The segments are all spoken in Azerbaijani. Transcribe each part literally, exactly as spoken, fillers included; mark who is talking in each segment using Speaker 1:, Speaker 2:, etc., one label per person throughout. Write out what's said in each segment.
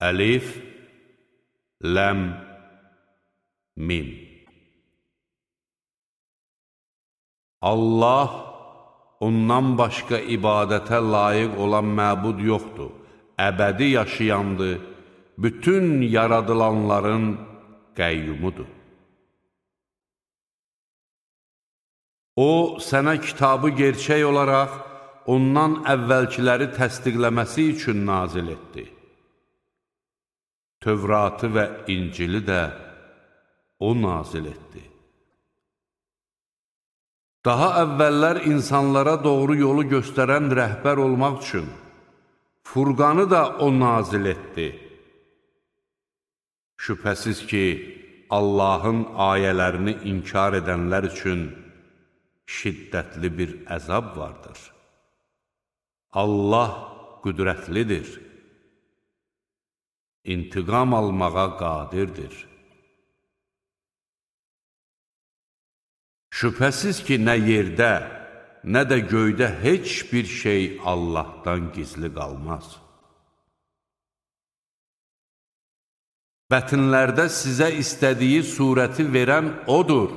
Speaker 1: Əlif, Ləm, Mim. Allah, ondan başqa ibadətə layiq olan məbud yoxdur, əbədi yaşayandır, bütün yaradılanların qəyyumudur. O, sənə kitabı gerçək olaraq, ondan əvvəlkiləri təsdiqləməsi üçün nazil etdi. Tövratı və İncili də o nazil etdi. Daha əvvəllər insanlara doğru yolu göstərən rəhbər olmaq üçün Furqanı da o nazil etdi. Şübhəsiz ki, Allahın ayələrini inkar edənlər üçün şiddətli bir əzab vardır. Allah qüdrətlidir, intiqam almağa qadirdir. Şübhəsiz ki, nə yerdə, nə də göydə heç bir şey Allahdan gizli qalmaz. Bətnlərdə sizə istədiyi surəti verən odur.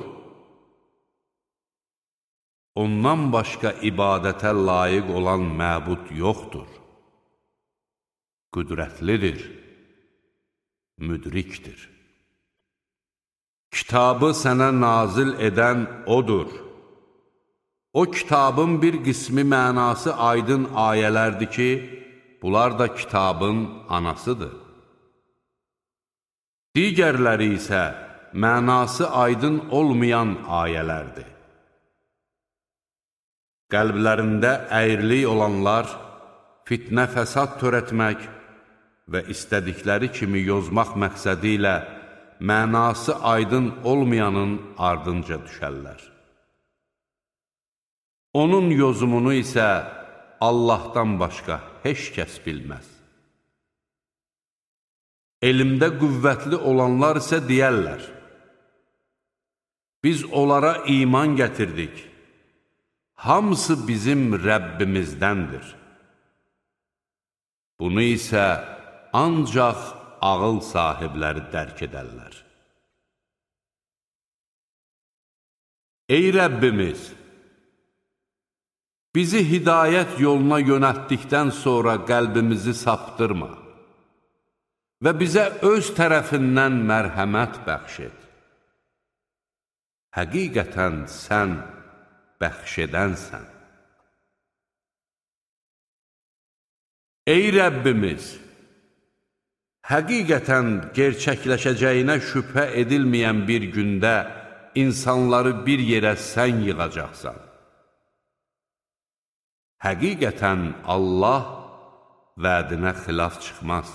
Speaker 1: Ondan başqa ibadətə layiq olan məbud yoxdur. Qüdrətlidir, müdrikdir. Kitabı sənə nazil edən odur. O kitabın bir qismi mənası aydın ayələrdir ki, bunlar da kitabın anasıdır. Digərləri isə mənası aydın olmayan ayələrdir. Qəlblərində əyrilik olanlar fitnə fəsad törətmək və istədikləri kimi yozmaq məqsədi ilə mənası aydın olmayanın ardınca düşərlər. Onun yozumunu isə Allahdan başqa heç kəs bilməz. Elmdə qüvvətli olanlar isə deyərlər, biz onlara iman gətirdik, hamısı bizim Rəbbimizdəndir. Bunu isə ancaq ağıl sahibləri dərk edərlər. Ey Rəbbimiz! Bizi hidayət yoluna yönəltdikdən sonra qəlbimizi saptırma və bizə öz tərəfindən mərhəmət bəxş et. Həqiqətən sən bəxş edənsən. Ey Rəbbimiz! Həqiqətən gerçəkləşəcəyinə şübhə edilməyən bir gündə insanları bir yerə sən yığacaqsan. Həqiqətən Allah vədinə xilaf çıxmaz.